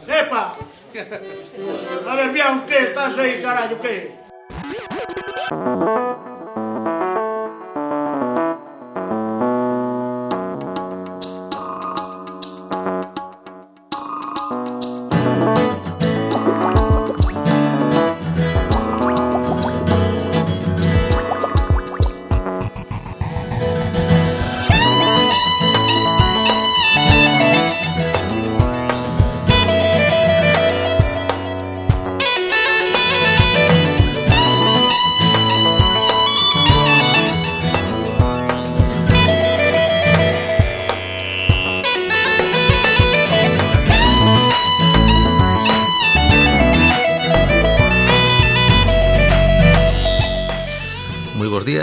Epa! A ver, Biaus, que estás aí, carallo, que?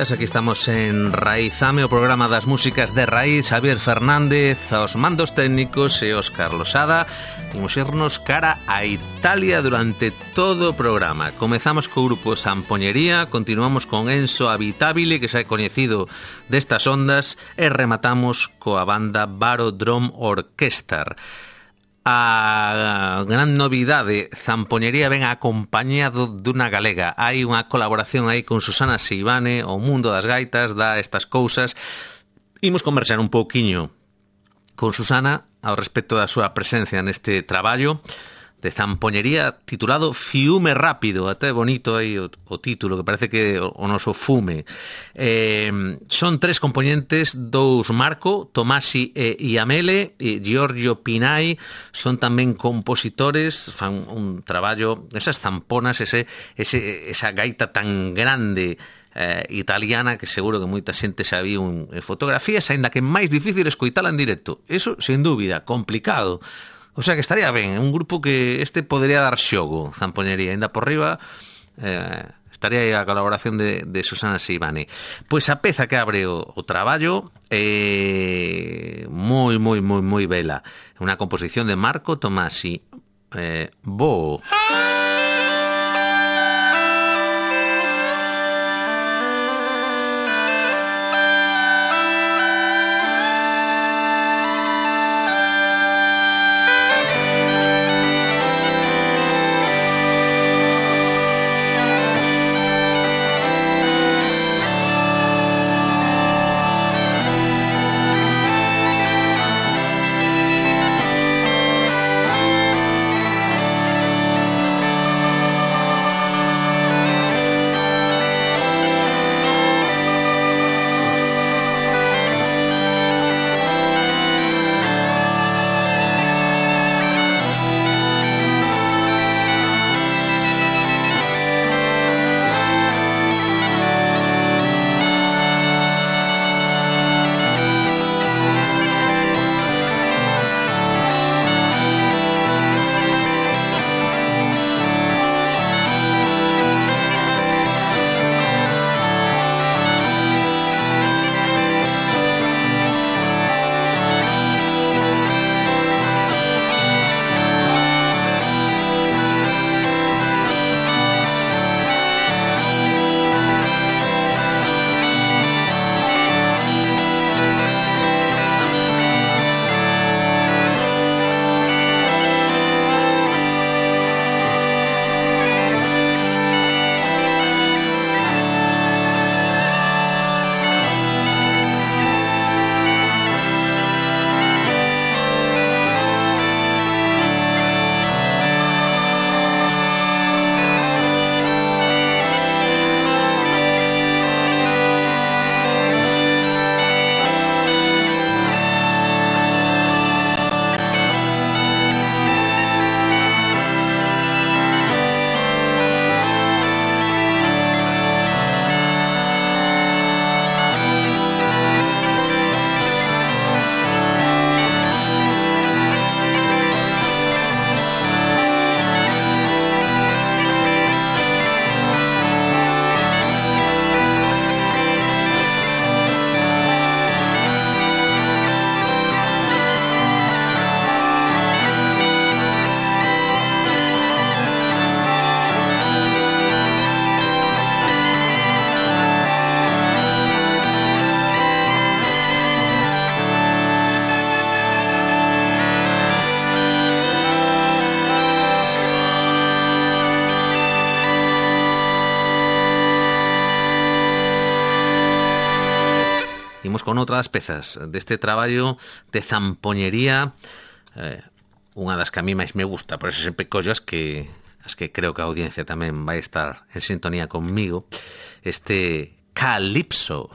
Aquí estamos en Raizame, o programa das músicas de raíz. Xavier Fernández aos mandos técnicos e Óscar Losada. Imos irnos cara a Italia durante todo o programa. Comezamos co grupo Sampoñería, continuamos con Enzo Abitabile, que xa é coñecido destas ondas, e rematamos coa banda Baro Drum Orchestra. A gran novidade, Sampoñería ven acompañado dunha galega. Hai unha colaboración aí con Susana Seivane. O mundo das gaitas dá estas cousas. Imos conversar un pouquiño con Susana ao respecto da súa presencia neste traballo de Sampoñería titulado Fiume Rápido. Até bonito aí o título, que parece que o noso fume. Son tres componentes, dous Marco, Tomasi e Iamele, e Giorgio Pinai. Son tamén compositores, fan un traballo, esas zamponas, esa gaita tan grande italiana que seguro que moita xente xa viu en fotografías, aínda que é máis difícil escoitala en directo. Eso, sen dúbida, complicado. O sea que estaría ben, un grupo que podría dar xogo, Sampoñería, ainda por riba, estaría aí a colaboración de Susana Seivane. Pois a peza que abre o traballo é moi bela. Unha composición de Marco Tomasi. Bo. con outra das pezas deste traballo de zampoñería, unha das que a mí máis me gusta, por eso sempre collo as que creo que a audiencia tamén vai estar en sintonía conmigo, este Calipso.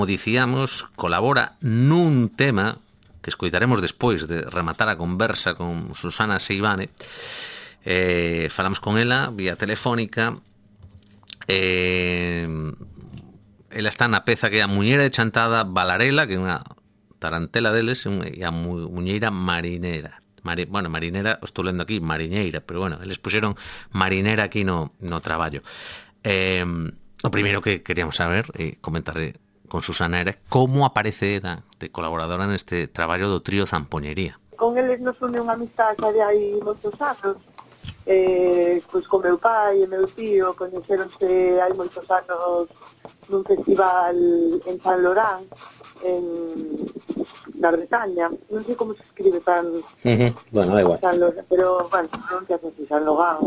como dicíamos, colabora nun tema que escoitaremos despois de rematar a conversa con Susana Seivane. Falamos con ela vía telefónica. Ela está na peza que é a Muñeira de Chantada Balarela, que é unha tarantela deles, e a Muñeira Marinera. Bueno, marinera, estou lendo aquí mariñeira, pero bueno, eles puxeron marinera aquí no traballo. O primeiro que queríamos saber e comentar con Susana era como aparece de colaboradora neste traballo do trío Zampoñería. Con eles nos une unha amistade de hai moitos anos. Pois con meu pai e meu tío coñeceronse hai moitos anos nun festival en San Lorán, na Bretaña. Non sei como se escribe tan... Bueno, da igual. San Lorán, pero, bueno, non se hace así, San Lorán.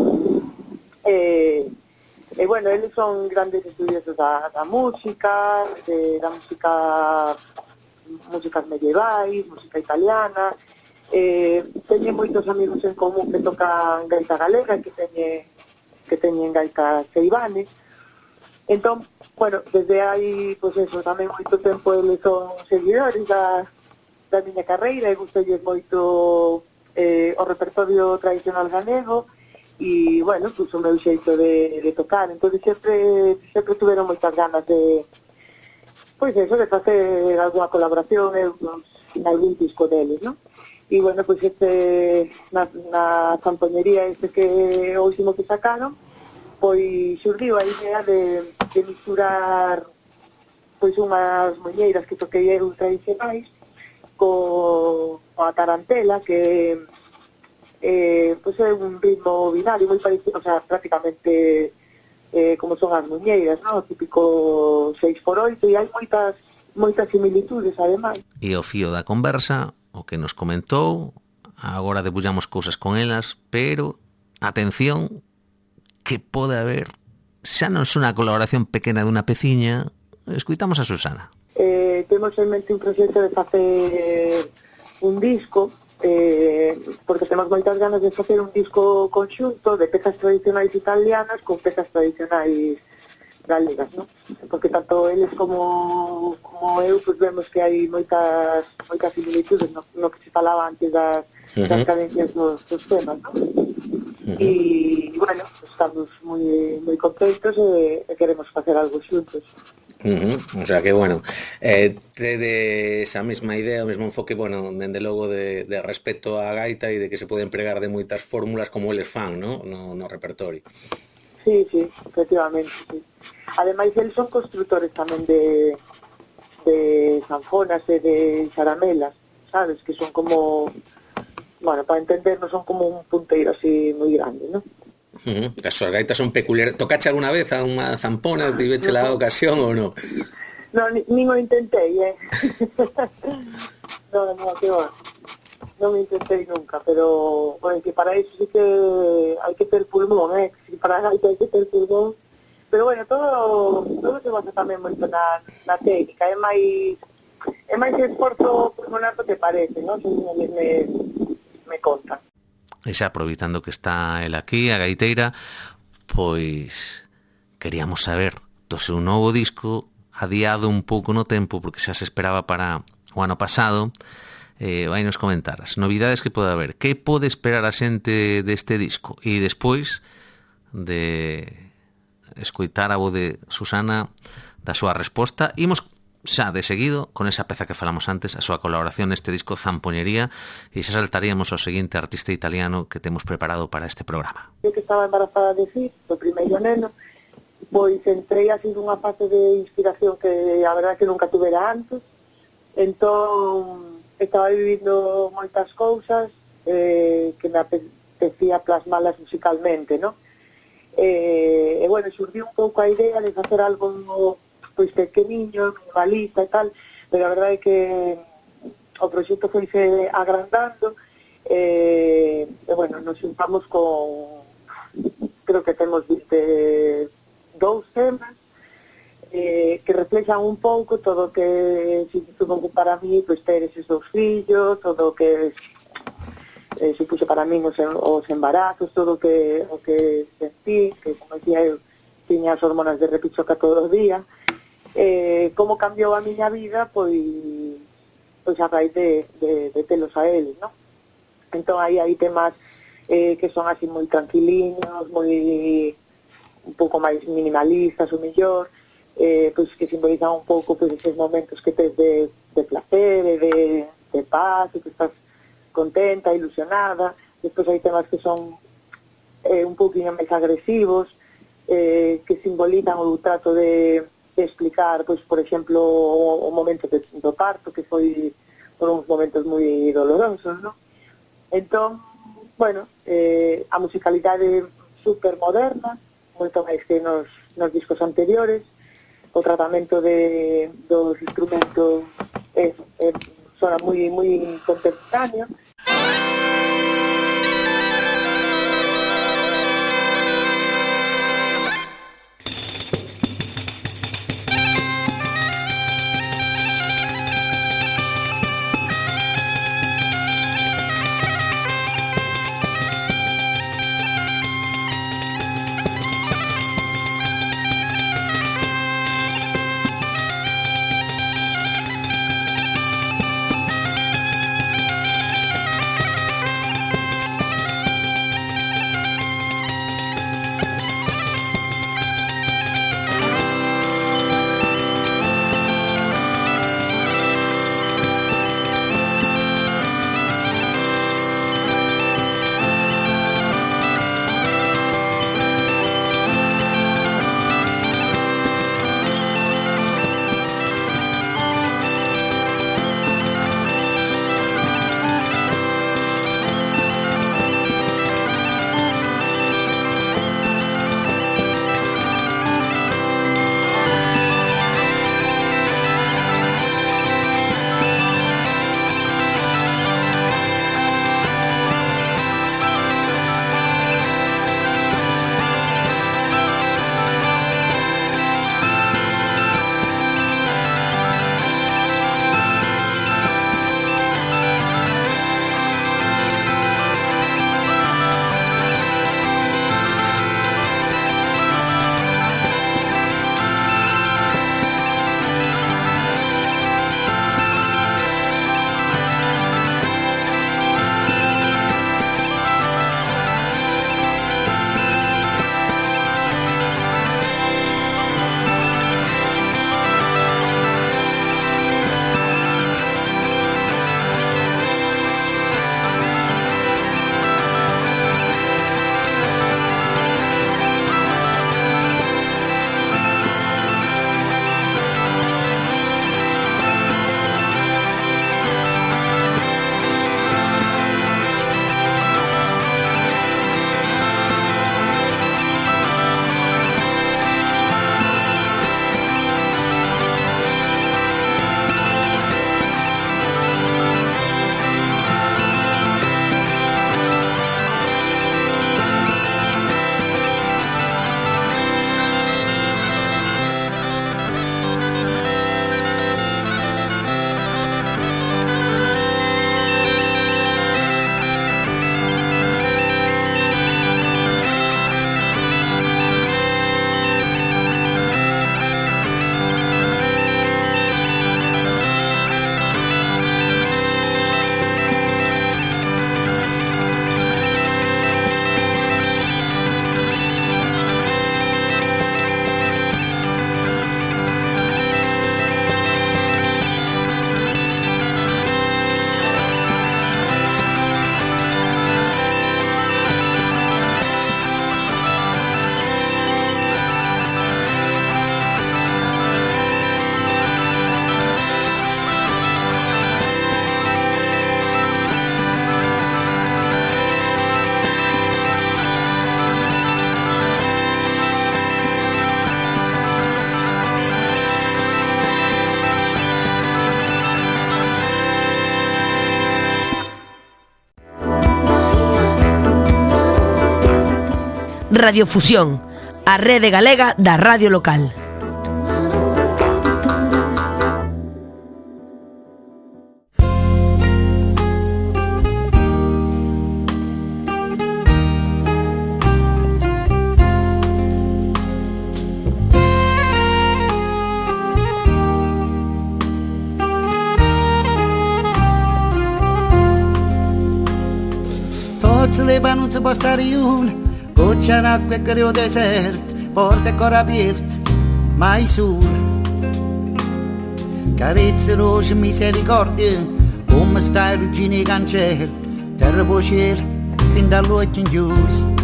Bueno, eles son grandes estudiosos da música, músicas medievais, música italiana. Teñen moitos amigos en común que tocan gaita galega, que que teñen gaitas Seivane. Entón, bueno, desde hai, pois eso, tamén moito tempo eles son seguidores da miña carreira e gustolles moito o repertorio tradicional galego e, bueno, pois o meu xeito de tocar. Entón, sempre tuveron moitas ganas de, pois eso, de facer alguna colaboración en algún disco deles, non? E, bueno, pois na Zampoñería que o último que sacaron, pois xurdiu a idea de misturar pois unhas moñeiras que toquei eu tradicionais coa tarantela, que pois é un ritmo binario moi parecido, o sea, prácticamente como son as moñeiras, non? O típico 6x8, e hai moitas similitudes, ademais. E o fío da conversa, o que nos comentou, agora debullamos cousas con elas, pero, atención, que pode haber, xa non é unha colaboración pequena dunha peciña. Escuitamos a Susana. Temos en mente un proxecto de facer un disco, porque temos moitas ganas de facer un disco conxunto de pezas tradicionais italianas con pezas tradicionais galegas, non? Porque tanto eles como eu, pues, vemos que hai moitas similitudes no que se falaba antes das cadencias dos temas, non? E, bueno, estamos moi contentos e queremos facer algo xuntos. O sea que, bueno, tedes a mesma idea, o mesmo enfoque, bueno, dende logo de respecto á gaita e de que se pode empregar de moitas fórmulas como eles fan, no repertorio. Sí, efectivamente, sí. Ademais, eles son constructores tamén de sanfonas e de xaramelas, sabes? Que son como, bueno, para entendernos, son como un punteiro así moi grande, non? As súas gaitas son peculiares. Tocache alguna vez a unha zampona? Tiveche la ocasión ou non? Non, nin o intentei, non, que va. Non me intentei nunca, pero, bueno, que para eso sí que hai que ter pulmón, que para a gaita hai que ter pulmón. Pero, bueno, todo se basa tamén moito na técnica, é máis esforzo pulmonar do que parece, non? Según me conta. E xa aproveitando que está el aquí, a gaiteira, pois queríamos saber do seu novo disco, adiado un pouco no tempo, porque xa se esperaba para o ano pasado. Vai nos comentar as novidades que pode haber, que pode esperar a xente deste disco, e despois de escoitar a voz de Susana da súa resposta, imos xa de seguido con esa peza que falamos antes, a súa colaboración neste disco Zampoñería, e xa saltaríamos ao seguinte artista italiano que temos preparado para este programa. Eu que estaba embarazada de Cid, do primeiro neno, pois entrei así nunha fase de inspiración que a verdade que nunca tuvera antes. Entón estaba vivindo moitas cousas que me apetecía plasmalas musicalmente, non? E, bueno, xurdiu un pouco a idea de facer algo pois pequeniño, minimalista e tal, pero a verdade é que o proxecto foise agrandando e, bueno, nos juntamos con, creo que temos 22 temas que reflexan un pouco todo o que significou para mí, pois, ter eses dous fillos, todo o que supuxo para mí os embarazos, todo o que sentí, que, como decía eu, tiña as hormonas de repichoca todo o día, como cambiou a miña vida, pois a raíz de telos a eles, non? Entón aí hai temas que son así moi tranquiliños, moi un pouco máis minimalistas, o mellor, pois que simbolizan un pouco pois esos momentos que tes de placer e de paz, e que estás contenta, ilusionada. Despois hai temas que son un pouquinho máis agresivos, que simbolizan o trato de explicar, pois, por exemplo, o momento do parto, que foi por uns momentos moi dolorosos, non? Entón, bueno, a musicalidade super moderna, moito máis que nos discos anteriores, o tratamento dos instrumentos sona moi contemporáneo. Radiofusión, a rede galega da radio local. Leva non si può stare un goccia d'acqua e creo desert, porte ancora aperte, mai sole. Carezze, roce, misericordia, come stai ruggine i cancelli, terra può cielo, fin dall'occhio in chiuso.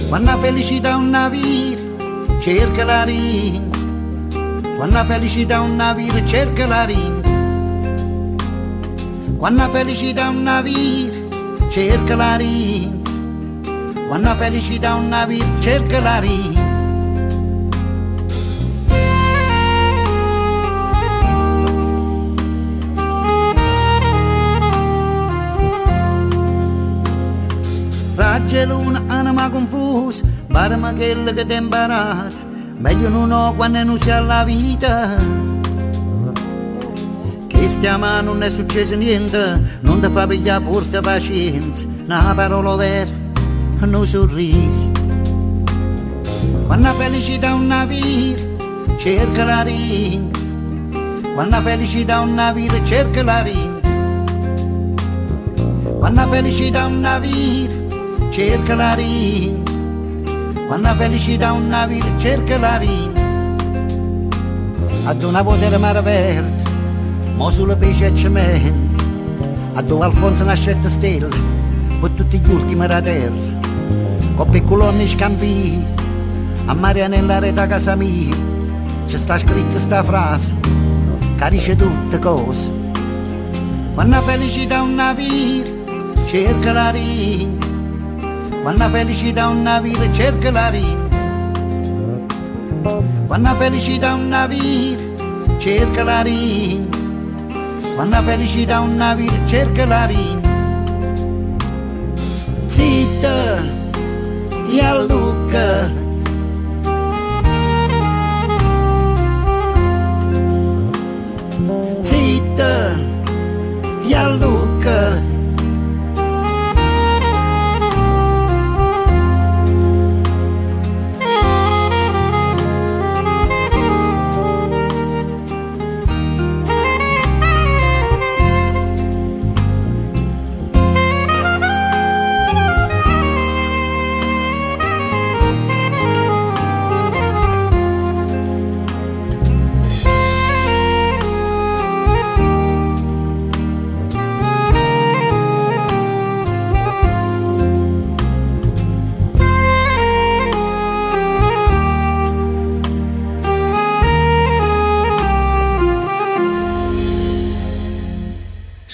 Quando la felicità un navire, cerca la ringa. Quando la felicità un navire, cerca la ringa. Quando la felicità un navire, cerca la ringa. Quando la felicità un navire, cerca la ringa. Raggia luna, anima confusa, barma quella che ti imparata, meglio non ho quando non c'è la vita. Che stiamo non è successo niente, non ti fa pigliare porta pazienza, una parola vera, un sorriso. Quando la felicità un navire, cerca la ringa. Quando la felicità un navire, cerca la ringa. Quando la felicità un navire, cerca la ringa. Quando la felicità un navire, cerca la ringa. Ad una volta mare verde, mo sulle pesce e cemento, a dove Alfonso nascette stelle, per tutti gli ultimi da terra, con piccoloni scambi, a Marianella reta casa mia, c'è sta scritta sta frase, che dice tutte cose. Quando la felicità un navire, cerca la ringa. Quando la felicità un navire, cerca la ringa. Quando la felicità un navire, cerca la ringa. Quando la felicità un navire, cerca la ringa. Zitta, e Luca. Zitta, e Luca.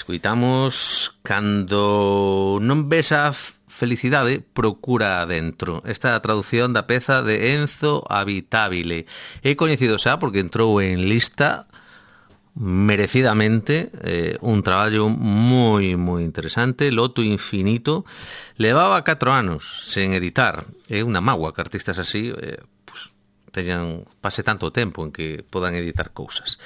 Escoitamos Cando non ves a felicidade, procura adentro. Esta é a traducción da peza de Enzo Abitabile. É coñecido xa porque entrou en lista merecidamente, un traballo moi interesante. Loto Infinito levaba 4 anos sen editar. É unha mágoa que artistas así pase tanto tempo en que podan editar cousas.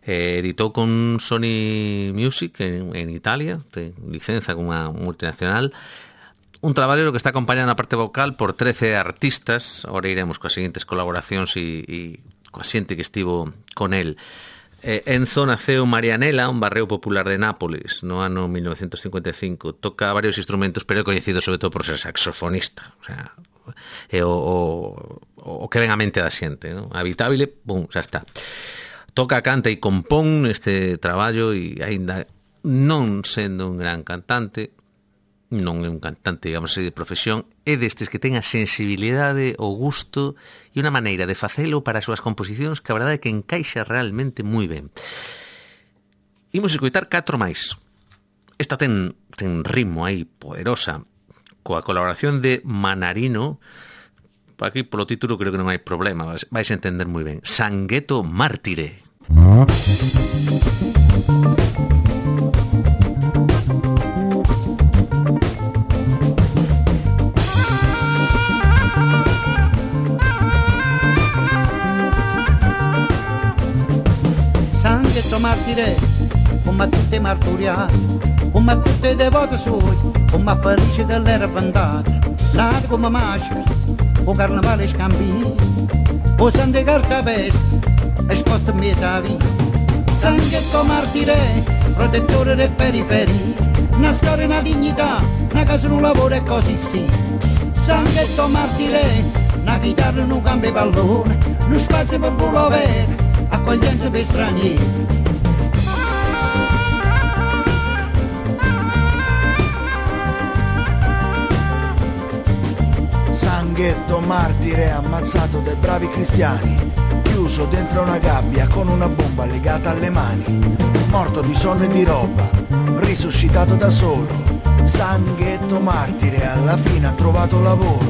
Editou con Sony Music en Italia, ten licenza con unha multinacional, un traballo que está acompañado na parte vocal por 13 artistas. Ahora iremos coas seguintes colaboracións e coa xente que estivo con el. Enzo naceu en Marianela, un barrio popular de Nápoles, no ano 1955. Toca varios instrumentos, pero é coñecido sobre todo por ser saxofonista. O sea, o que ven a mente da xente, ¿no? Habitabile, pum, xa está. Toca, canta e compón este traballo e aínda non sendo un gran cantante, non é un cantante, digamos, de profesión, é destes que ten a sensibilidade, o gusto e unha maneira de facelo para as súas composicións que a verdade é que encaixa realmente moi ben. Imos escoitar 4 máis. Esta ten ritmo aí poderosa, coa colaboración de Manarino. Aquí polo título creo que non hai problema, vais a entender moi ben. Sangueto Mártire. come tutti marturiati, come tutti i devoti suoi, come felice che l'era bandata, nata come maschera, o carnevale scambini, o sante carta veste, e sposta in mezzo a vita. Sanghetto martire, protettore delle periferie, una storia, una dignità, una casa, un lavoro e così sì. Sanghetto martire, una chitarra, un cambio pallone, uno spazio per pulovere, accoglienza per stranieri. Sanghetto martire ammazzato dai bravi cristiani, chiuso dentro una gabbia con una bomba legata alle mani, morto di sonno e di roba, risuscitato da solo. Sanghetto martire alla fine ha trovato lavoro,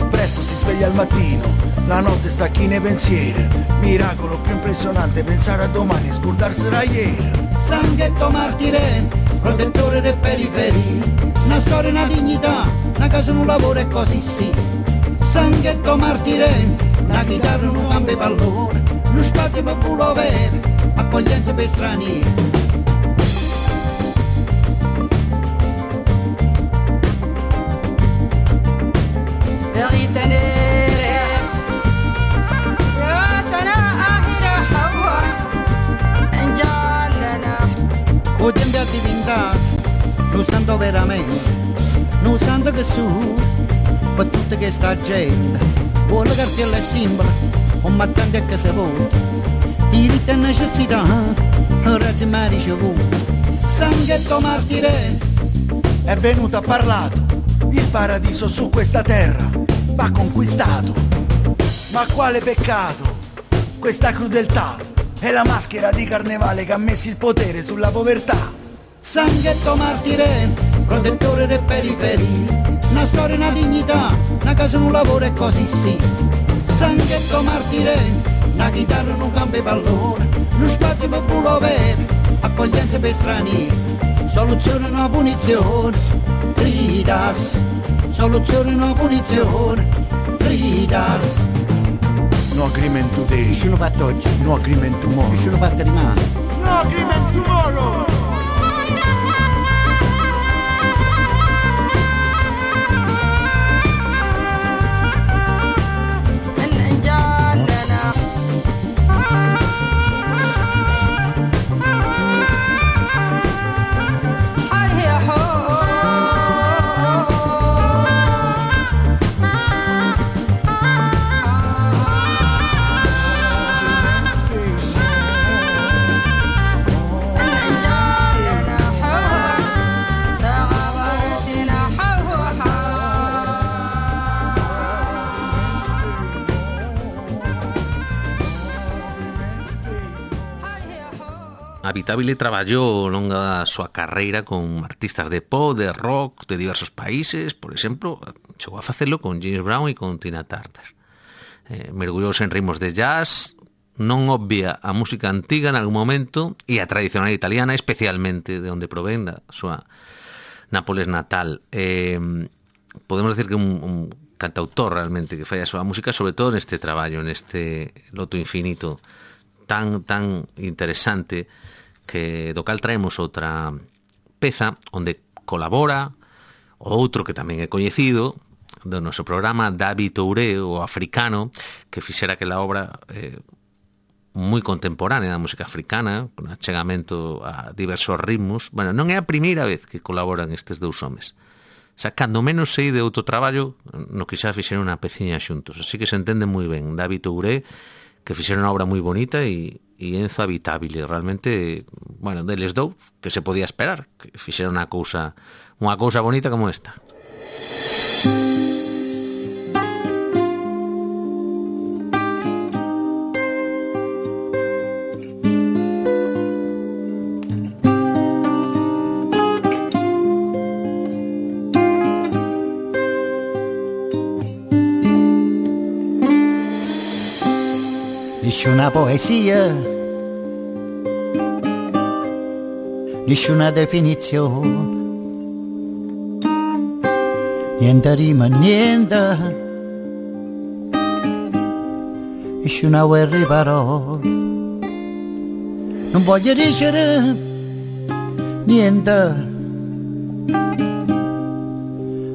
presto si sveglia al mattino, la notte sta china e pensieri, miracolo più impressionante pensare a domani e scordarsi da ieri. Sanghetto martire, protettore delle periferie, una storia, una dignità, una casa, un lavoro e così sì. Sanghetto martire, una chitarra, un cambio pallone, uno spazio per pulovere, accoglienza per stranieri. O tempo a diventare, lo santo veramente, lo santo che su, per tutta questa gente, vuole cartella e simbolo, un mattante che si vota, diritti e necessità, grazie mai ricevuto. Sanghetto martire, è venuto a parlato, il paradiso su questa terra va conquistato. Ma quale peccato, questa crudeltà, è la maschera di carnevale che ha messo il potere sulla povertà. Sanghetto martire, protettore delle periferie, una storia, una dignità, una casa, un lavoro e così sì. Sanghetto martire, una chitarra, un cambio pallone, uno spazio per pulovere, accoglienza per stranieri, soluzione una punizione, Tridas, soluzione una punizione, Tridas. No agreement today, Nessuno fatto oggi, no agreement tomorrow, nessuno fatto rimane. No agreement tomorrow. Habitabile traballou ao longo da súa carreira con artistas de pop, de rock, de diversos países. Por exemplo, chegou a facelo con James Brown e con Tina Turner. Mergullouse en ritmos de jazz, non obvia a música antiga en algún momento e a tradicional italiana, especialmente de onde provén da súa Nápoles natal. Podemos decir que un cantautor realmente que fai a súa música, sobre todo neste traballo, neste loto infinito tan interesante, que do cal traemos outra peza onde colabora outro que tamén é coñecido do noso programa, David Touré, o africano, que fixera aquela obra moi contemporánea da música africana, con achegamento a diversos ritmos. Bueno, non é a primeira vez que colaboran estes dous homes. O sea, cando menos sei de outro traballo no que xa fixeron unha peciña xuntos. Así que se entende moi ben. David Touré, que fixeron unha obra moi bonita, e Enzo Habitabile, realmente, bueno, deles dous, que se podía esperar, que fixeron unha cousa bonita como esta. Nessuna poesia, nessuna definizione, niente rima, niente, nessuna guerra di parole, non voglio dicere niente,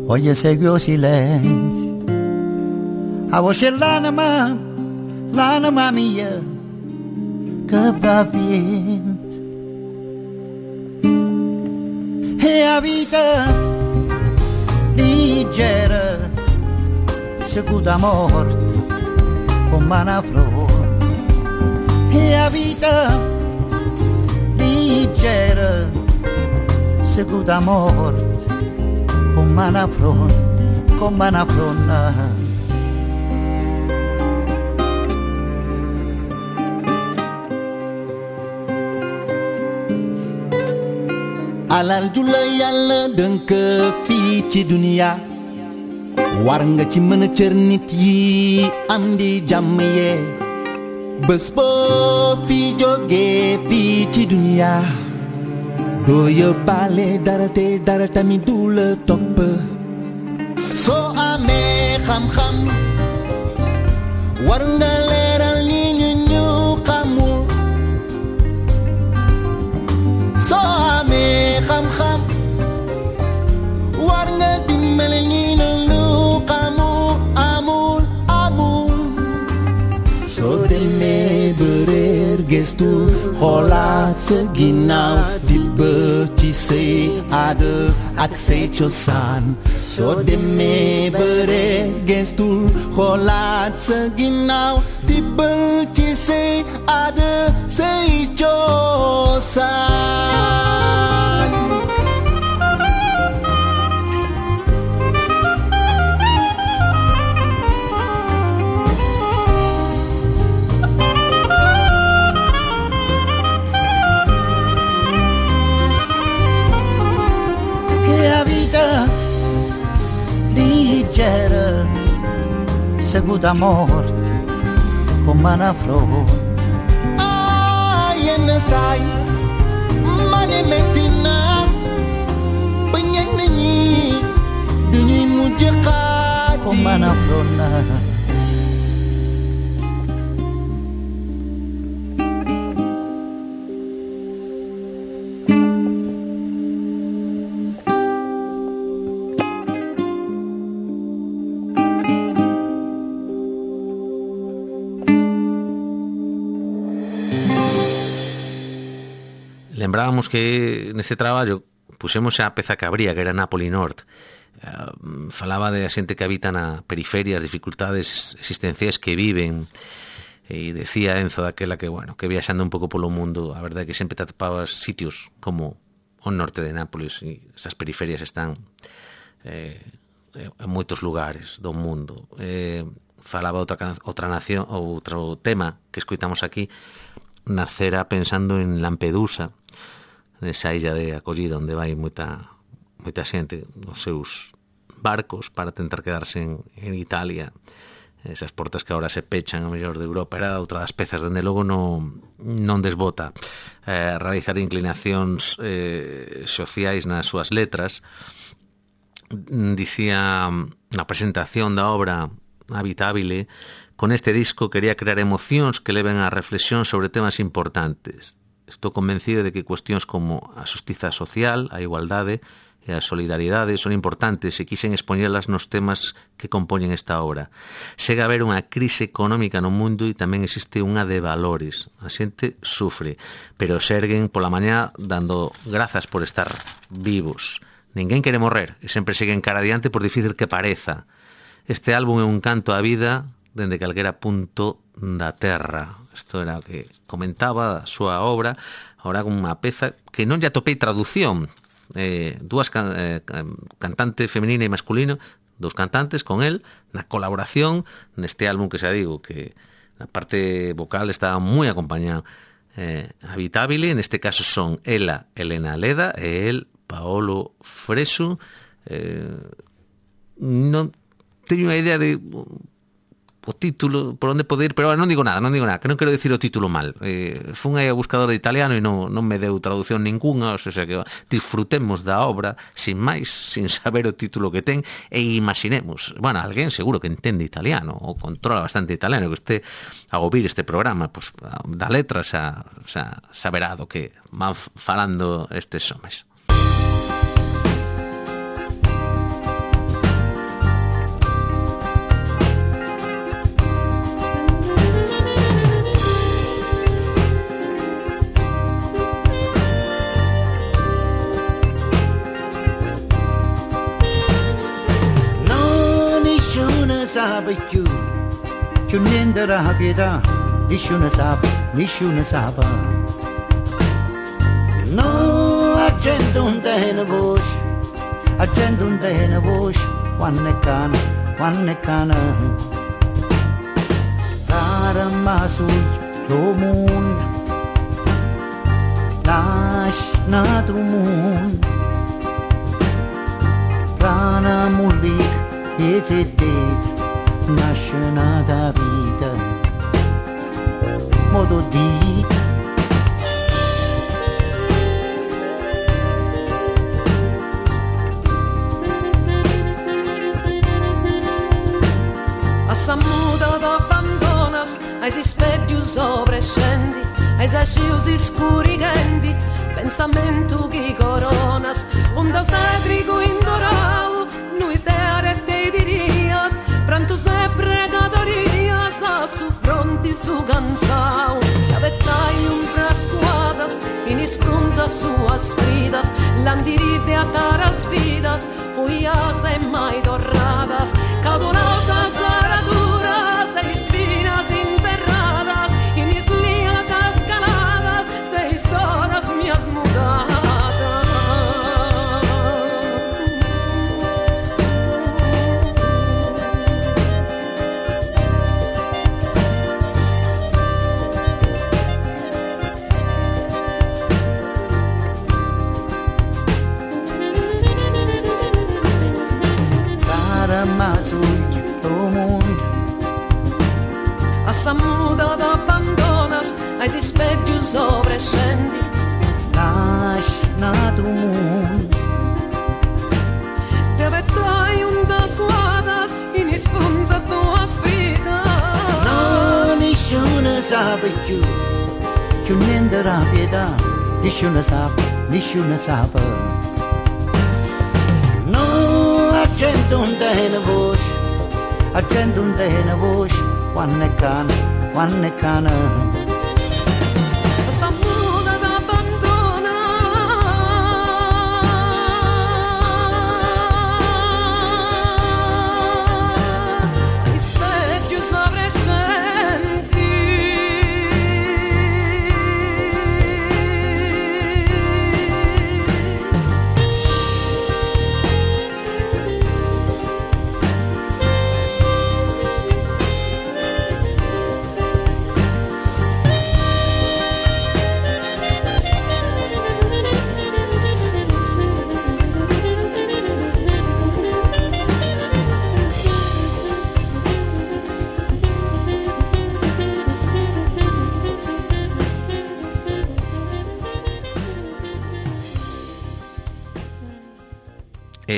voglio seguire il silenzio, a voce l'anima mia che va via. E la vita leggera, secondo morte, come una flor. E la vita leggera, secondo morte, come una flor, come una flor. alal jula yàlla dënk fii ci duniya war nga ci mën a cër nit yi am di jàmm yee bés boo fi jógee fii ci duniya doo yóbbaale dara te dara tamit du la topp soo amee xam-xam war nga leeral ni ñu xamul soo amee xam-xam war nga dimbale ñi ñu xamul amul soo demee ba réer gëstu xoolaat sa ginnaaw di ba ci say aada ak say cosaan soo demee ba réer gëstu xoolaat sa ginnaaw di ba ci say aada say cosaan. La vita leggera, seguita morte come una flor. Yenn saay ma ne metti na ba ñenn ñi duñuy mujj xaati come una flor. Lembrábamos que neste traballo pusemos a peza que abría, que era Napoli Norte. Falaba de a xente que habita na periferia, as dificultades existenciais que viven, e decía Enzo daquela que, bueno, que viaxando un pouco polo mundo, a verdade é que sempre te atopabas sitios como o norte de Nápoles, e esas periferias están en moitos lugares do mundo. Falaba outra nación, outro tema que escoitamos aquí, nacera pensando en Lampedusa, nesa illa de acollida onde vai moita xente nos seus barcos para tentar quedarse en Italia, esas portas que agora se pechan ao mellor de Europa. Era outra das pezas, dende logo non desbota realizar inclinacións sociais nas súas letras. Dicía na presentación da obra Habitabile: con este disco quería crear emocións que leven á reflexión sobre temas importantes. Estou convencido de que cuestións como a xustiza social, a igualdade e a solidaridade son importantes e quixen expoñelas nos temas que compoñen esta obra. Chega a haber unha crise económica no mundo e tamén existe unha de valores. A xente sufre, pero serguen pola mañá dando grazas por estar vivos. Ninguén quere morrer e sempre seguen cara adiante por difícil que pareza. Este álbum é un canto á vida dende calquera punto da terra. Isto era o que comentaba a súa obra, agora con unha peza que non lle atopei traducción. Dúas cantante femenina e masculino, dous cantantes con el, na colaboración neste álbum que xa digo que na parte vocal está moi acompañado. Habitabile, neste caso son ela, Elena Leda, e el, Paolo Fresu. Non teño unha idea de o título, por onde pode ir, pero non digo nada, que non quero dicir o título mal. Fun aí a buscador de italiano e non me deu traducción ninguna, o sea que disfrutemos da obra sin máis, sin saber o título que ten, e imaginemos, bueno, alguén seguro que entende italiano ou controla bastante italiano, que este a ouvir este programa, pues, da letra xa saberá do que van falando estes homes. Sabe più niente la pietà, nessuno sa, no, la gente non tiene voce, quando è cana, rara ma sul mondo, lasciato mondo, rana mullica e zedete. Nasce nata vita, modo di assamuda d'abbandonas, ai si specchi sopra e scendi, ai sasciusi scurighendi, pensamento chi coronas, un da grigo indorau, noi stere stei dirias, pranto se pregatorias, a su fronti su cansau, cavettai un frascuadas, in isprunza suas fridas, landiride a taras vidas, fuias e mai dorradas, cadurosas araduras, de espinas enterradas, in isliatas caladas, de horas mias mudadas. Assamuda d'abbandonas, ai si specchi sopra e scendi, lasciato mondo, dove tu hai un da squadras, in isfunza tua sfida. no, nessuno sa più niente la pietà, nessuno sa, no, la gente non tiene voce, quando è cana, Assamuda d'abbandonas, ai specchi sopra e scendi.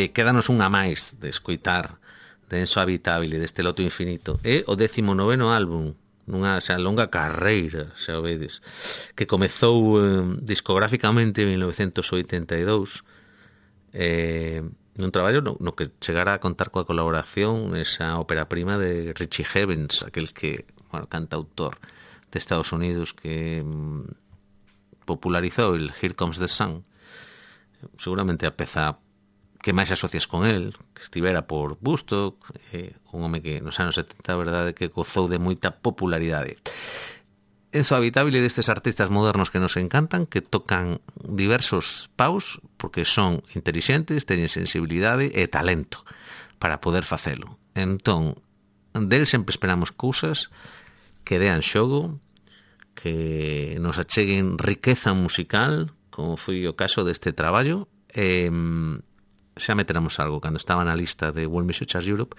Quédanos unha máis de escoitar de Enso Habitabile, deste Loto Infinito. É o 19º álbum nunha longa carreira, xa o vedes, que comezou discográficamente en 1982, nun traballo no que chegara a contar coa colaboración esa ópera prima de Richie Havens, aquel que, bueno, cantautor de Estados Unidos que popularizou el Here Comes the Sun, seguramente a peza que máis asocias con el, que estivera por Woodstock, un home que nos anos 70, a verdade, que gozou de moita popularidade. Enzo Habitabile destes artistas modernos que nos encantan, que tocan diversos paus, porque son intelixentes, teñen sensibilidade e talento para poder facelo. Entón, del sempre esperamos cousas que dean xogo, que nos acheguen riqueza musical, como foi o caso deste traballo, xa meteramos algo cando estaba na lista de World Music Charts Europe,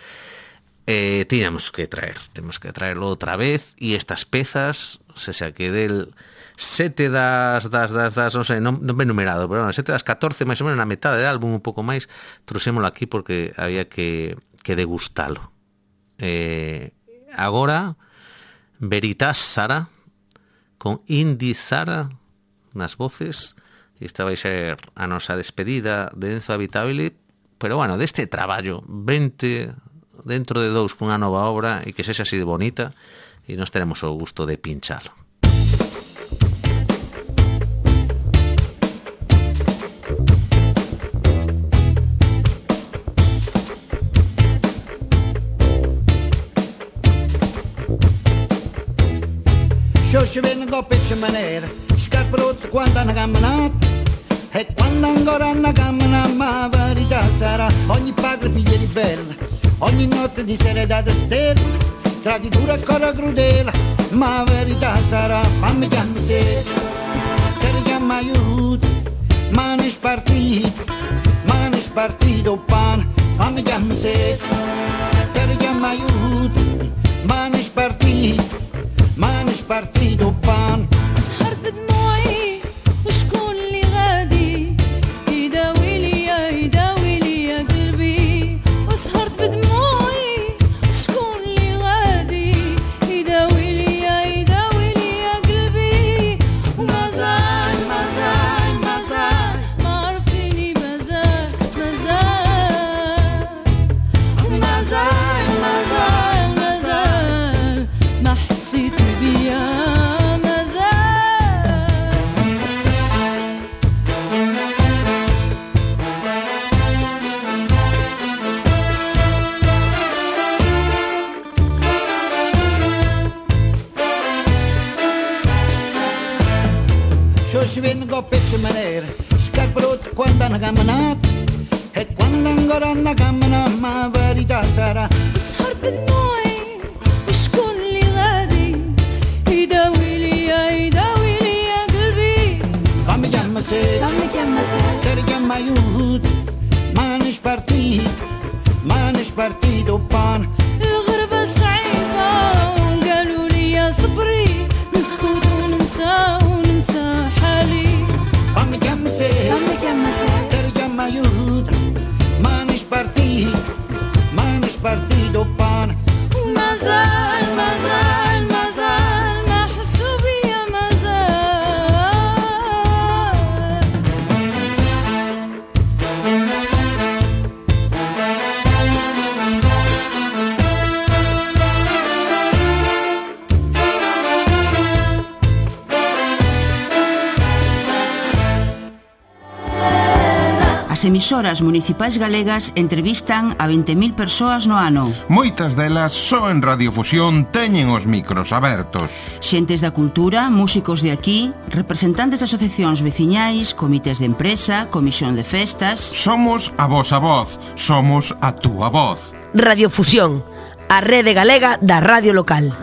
temos que traerlo outra vez, e estas pezas, se xa que del 7 das non sei, non ben numerado, pero 7 das 14, máis ou menos na metade do álbum, un pouco máis, trouxémolo aquí porque había que degustalo. Agora, Veritas Sara, con Indy Zara nas voces, e esta vai ser a nosa despedida de Enzo Habitable, pero bueno, deste traballo 20 dentro de 2 cunha nova obra e que sexa así de bonita, e nos teremos o gusto de pinchalo. Xo vengo pesce manera, scarpe rotte quando hanno camminato, e quando ancora hanno camminato, ma la verità sarà, ogni padre figlio di bella, ogni notte di sera data stella, traditura e cosa crudele, ma la verità sarà, fammi chiamare se, che richiama aiuto, mani spartito pane, fammi chiamare se, che richiama aiuto, mani spartito pan. سهرت بدموعي وشكون اللي غادي يداوي لي يا قلبي وسهرت بدموعي وشكون اللي غادي يداوي لي يا قلبي ومازال ما عرفتيني مازال ما حسيت بيا Si vengo pesce manera, scarpe rotte quando hanno camminato, e quando ancora hanno camminato, ma la verità sarà, سهرت بدموعي وشكون اللي غادي يداوي لي يا قلبي fammi chiamare se, che richiama aiuto, mani spartito pan. الغربة صعيبة قالوا لي يا صبري نسكت وننسى حالي Fammi chiamare se, che richiama aiuto, mani spartito pan. ومازال ما حسوا بيا مازال As emisoras municipais galegas entrevistan a 20.000 persoas no ano. Moitas delas só en Radiofusión teñen os micros abertos. Xentes da cultura, músicos de aquí, representantes de asociacións veciñais, comités de empresa, comisión de festas. Somos a vosa voz, somos a túa voz. Radiofusión, a rede galega da radio local.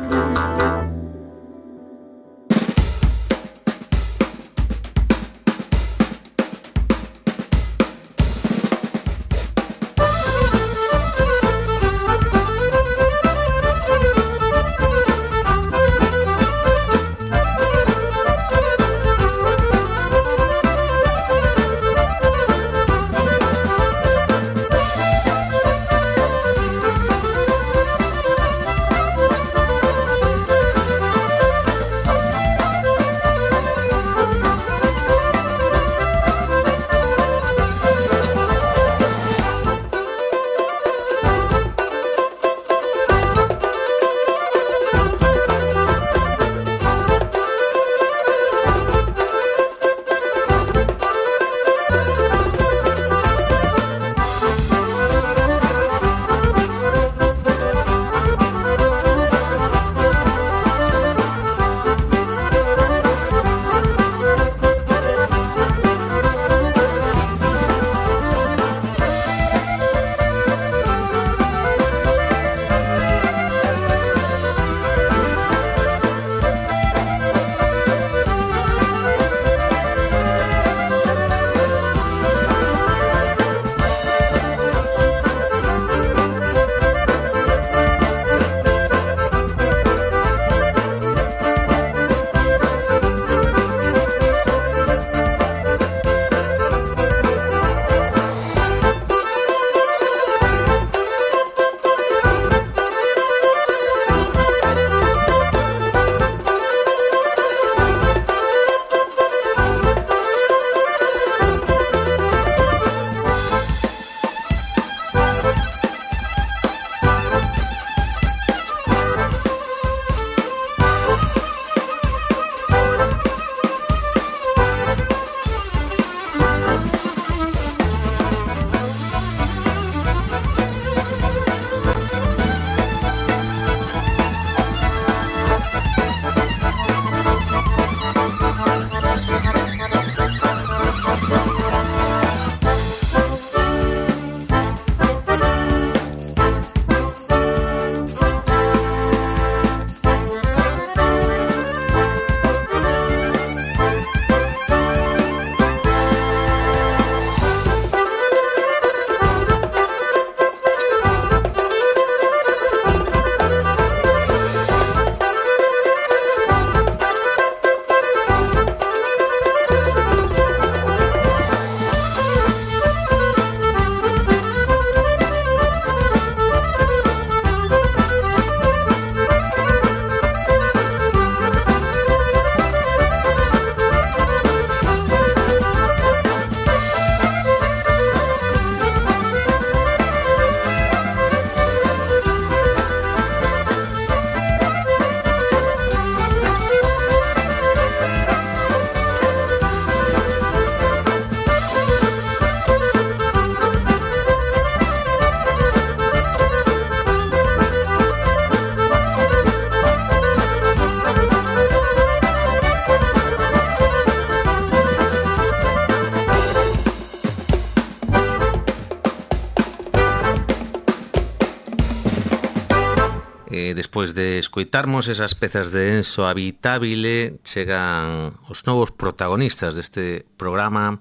despois de escoitarmos esas pezas de Enzo Habitabile, chegan os novos protagonistas deste programa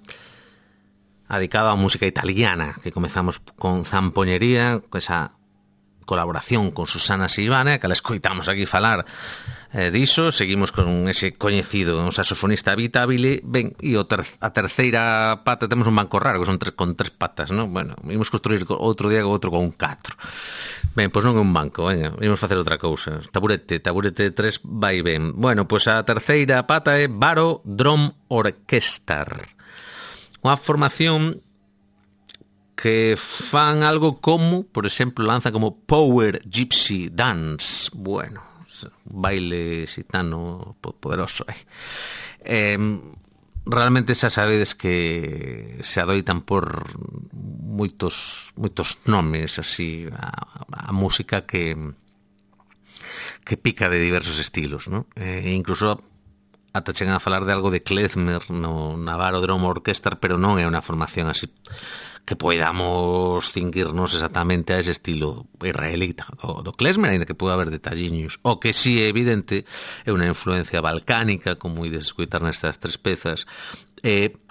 dedicado á música italiana, que comezamos con Zampoñería, con esa colaboración con Susana Silvane, que la escoitamos aquí falar diso. Seguimos con ese coñecido, un saxofonista Habitabile. Ben, e a terceira pata, temos un banco raro, que son con 3 patas, non? Bueno, imos construir outro día outro con 4. Ben, pois non é un banco, veña, imos facer outra cousa. Taburete 3 vai ben. Bueno, pois a terceira pata é Baro Drum Orchestra, unha formación que fan algo como, por exemplo, lanza como Power Gypsy Dance. Bueno, baile xitano poderoso. Realmente xa sabedes que se adoitan por moitos nomes así a música que pica de diversos estilos, ¿no? Incluso ata chegan a falar de algo de klezmer no Baro Drum Orchestra, pero non é unha formación así que poidamos cinguirnos exactamente a ese estilo israelita do klezmer, ainda que pode haber detalliños. O que sí é evidente é unha influencia balcánica, como ides escoitar nestas 3 pezas.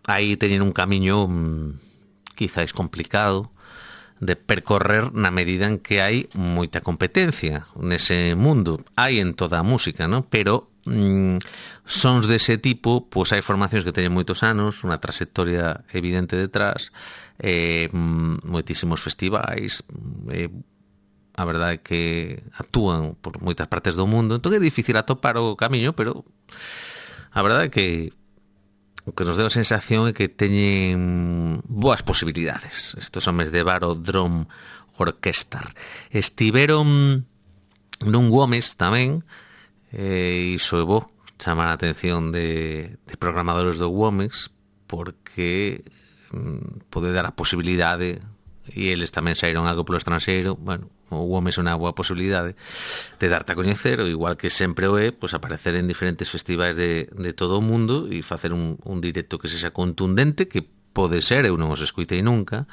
Aí teñen un camiño quizáis complicado de percorrer na medida en que hai moita competencia nese mundo. Hai en toda a música, ¿no? Pero sons dese tipo, pois hai formacións que teñen moitos anos, unha trayectoria evidente detrás, moitísimos festivais, a verdade é que actúan por moitas partes do mundo, entón é difícil atopar o camiño, pero a verdade é que o que nos deu a sensación é que teñen boas posibilidades estes homes de Baro Drum Orchestra. Estiveron nun Gomes tamén, e iso é bo chamar a atención de programadores do Gomes, porque pode dar a posibilidade, e eles tamén saíron algo polo estranxeiro. Bueno, o Gomes é unha boa posibilidade de darte a coñecer, ou igual que sempre o é, pois aparecer en diferentes festivais de todo o mundo e facer un directo que sexa contundente, que pode ser, eu non os escoitei nunca,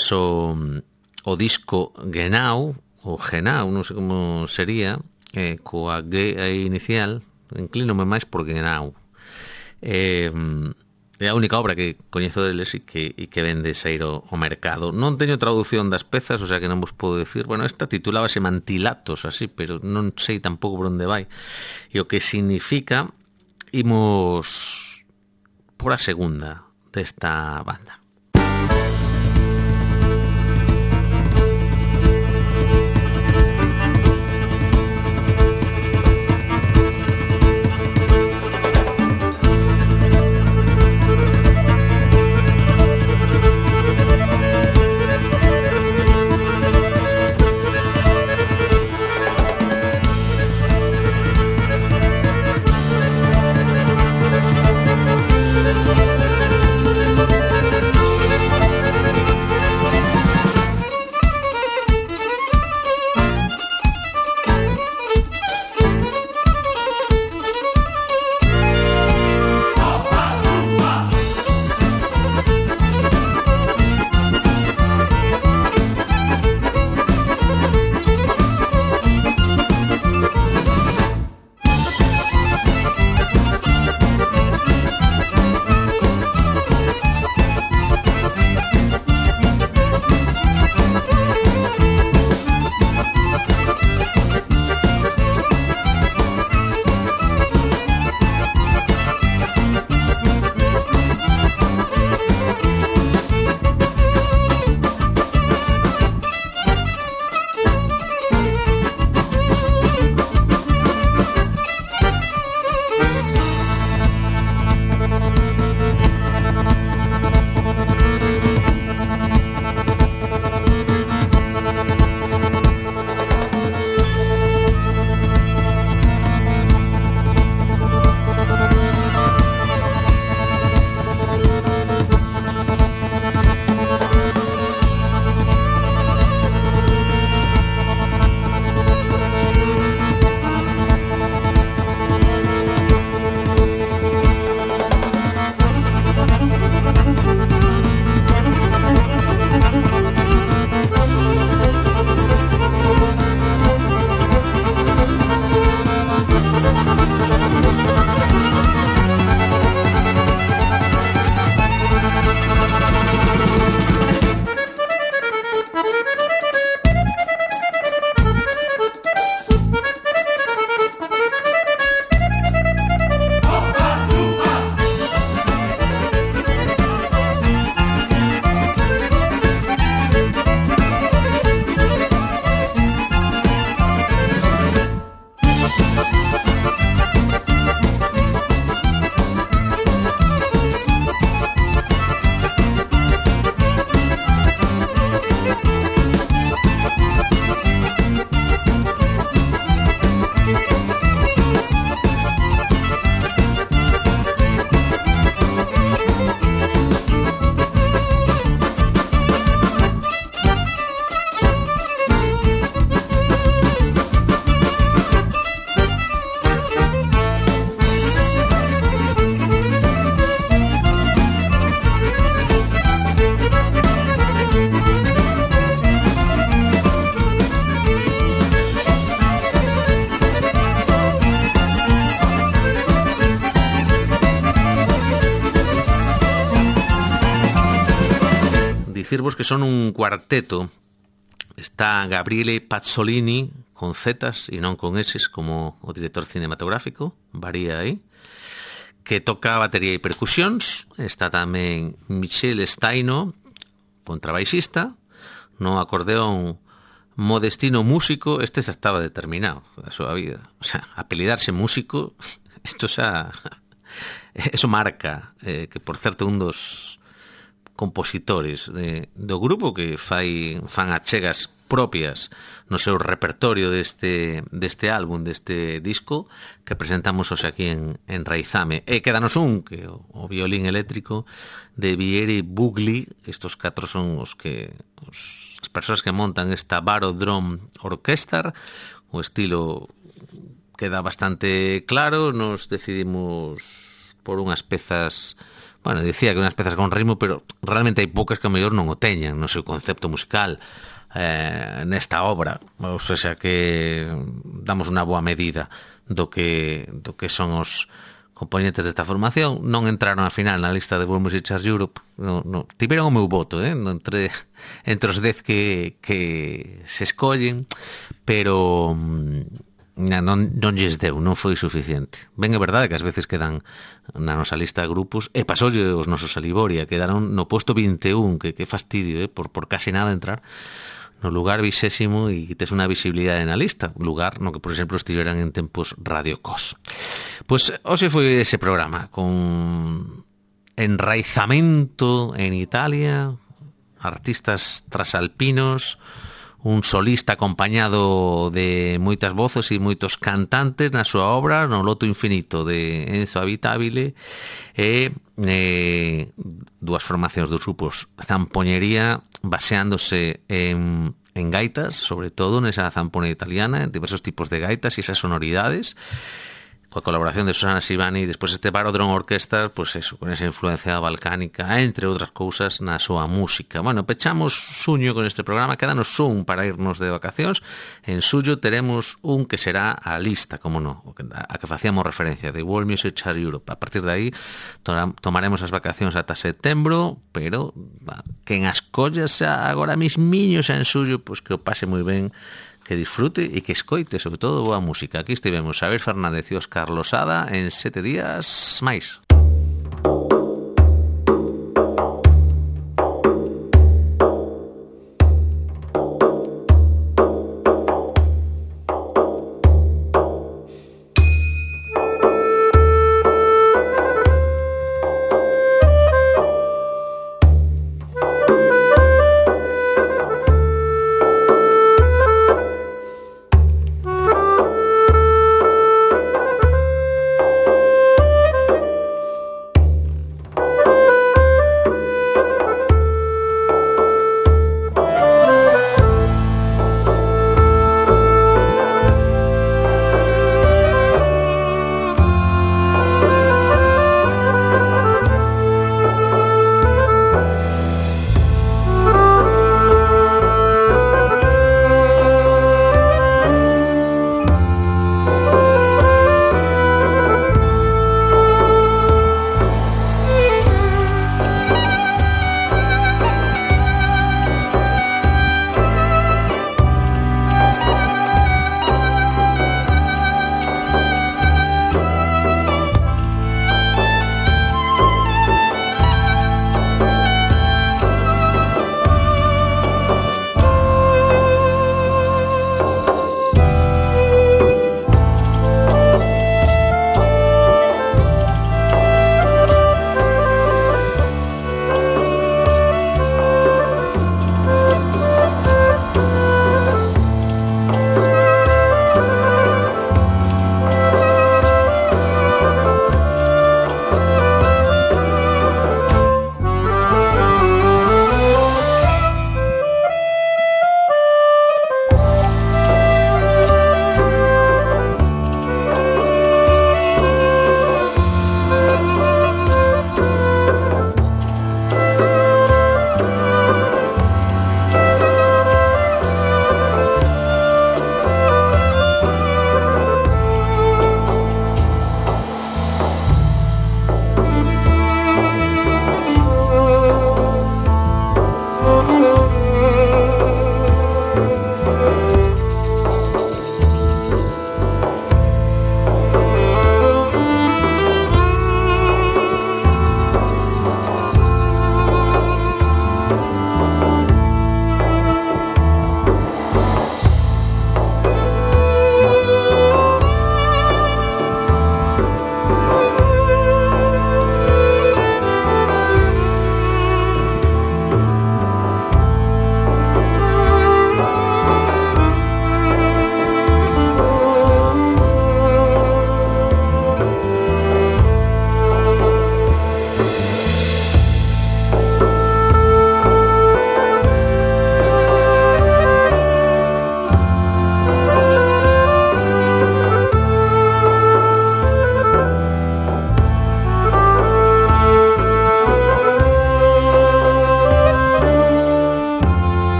o disco Genau, ou Genau, non sei como sería, coa G aí inicial, inclínome máis por Genau. É a única obra que coñezo deles e que vende sair ao mercado. Non teño traducción das pezas, o sea que non vos podo decir. Bueno, esta titulábase Mantilatos, así, pero non sei tampouco por onde vai. E o que significa, imos por a segunda desta banda. dicirvos que son un cuarteto. Está Gabriele Pazzolini, con Zetas e non con Eses, como o director cinematográfico, varía aí, que toca batería e percusións. Está tamén Michele Staino, contrabaixista, no acordeón Modestino músico. Este xa estaba determinado a súa vida, o sea, apelidarse músico, isto xa eso marca, que por certo un dos compositores do grupo que fan achegas propias no seu repertorio deste álbum, deste disco que presentamos hoxe aquí en Raizame. E quédanos un, que o violín eléctrico de Vieri Bugli. Estos 4 son as persoas que montan esta Baro Drum Orchestra. O estilo queda bastante claro. Nos decidimos por unhas pezas, bueno, dicía que unhas pezas con ritmo, pero realmente hai poucas que a mellor non o teñan no seu concepto musical nesta obra, ou seja que damos unha boa medida do que son os componentes desta formación. Non entraron a final na lista de World Music Charts Europe, no, tiveron o meu voto, entre os 10 que se escollen, pero non lles deu, non foi suficiente. Ben, é verdade que ás veces quedan na nosa lista de grupos, e pasoulle os nosos a Liboria, quedaron no posto 21, que fastidio, por case nada entrar no lugar 20º e tes unha visibilidade na lista, lugar no que, por exemplo, estiveran en tempos Radio Cos. Pois hoxe foi ese programa con enraizamento en Italia, artistas trasalpinos, un solista acompañado de moitas voces e moitos cantantes na súa obra, no Loto Infinito de Enzo Habitabile, e dúas formacións dos grupos Zampoñería, baseándose en gaitas, sobre todo nesa zampona italiana, en diversos tipos de gaitas e esas sonoridades, coa colaboración de Susana Sivani, e despois este Baro Drum Orchestra, pues eso, con esa influencia balcánica, entre outras cousas, na súa música. Bueno, pechamos suño con este programa, quédanos un para irnos de vacacións. En suyo teremos un que será a lista, como no, a que facíamos referencia, de World Music Charts Europe. A partir de aí tomaremos as vacacións ata setembro, pero quen as collas agora mismiño xa en suyo, pues que o pase moi ben, que disfrute e que escoite, sobre todo, boa música. Aquí estivemos Xavier Fernández e Óscar Losada en 7 días máis.